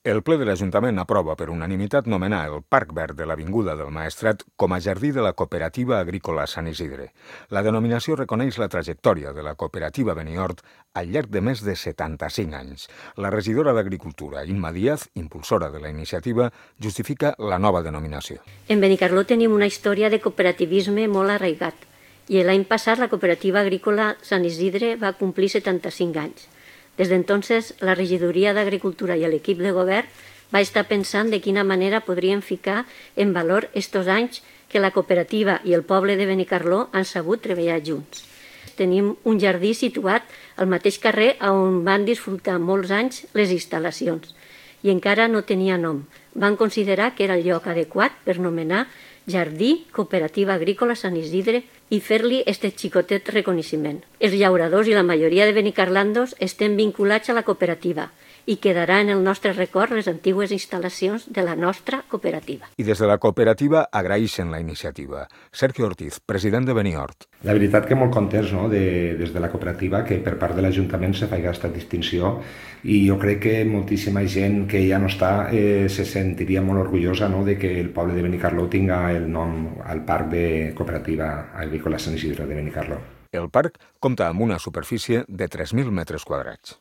El ple de l'Ajuntament aprova per unanimitat nomenar el Parc Verd de l'Avinguda del Maestrat com a jardí de la Cooperativa Agrícola Sant Isidre. La denominació reconeix la trajectòria de la cooperativa Benihort al llarg de més de 75 anys. La regidora d'Agricultura, Imma Díaz, impulsora de la iniciativa, justifica la nova denominació. En Benicarló tenim una història de cooperativisme molt arraigat i l'any passat la Cooperativa Agrícola Sant Isidre va complir 75 anys. Des d'entonces, la regidoria d'Agricultura i l'equip de govern va estar pensant de quina manera podríem ficar en valor estos anys que la cooperativa i el poble de Benicarló han sabut treballar junts. Tenim un jardí situat al mateix carrer on van disfrutar molts anys les instal·lacions i encara no tenia nom. Van considerar que era el lloc adequat per nomenar Jardí Cooperativa Agrícola Sant Isidre i fer-li este xicotet reconeixement. Els llauradors i la majoria de benicarlandos estem vinculats a la cooperativa i quedarà en el nostre record les antigues instal·lacions de la nostra cooperativa. I des de la cooperativa agraeixen la iniciativa. Sergio Ortiz, president de Benihort. La veritat que molt contents, no?, des de la cooperativa que per part de l'Ajuntament se faci aquesta distinció i jo crec que moltíssima gent que ja no està se sentiria molt orgullosa, no?, de que el poble de Benicarló tinga el nom al Parc de Cooperativa Agrícola Sant Isidre de Benicarló. El parc compta amb una superfície de 3.000 metres quadrats.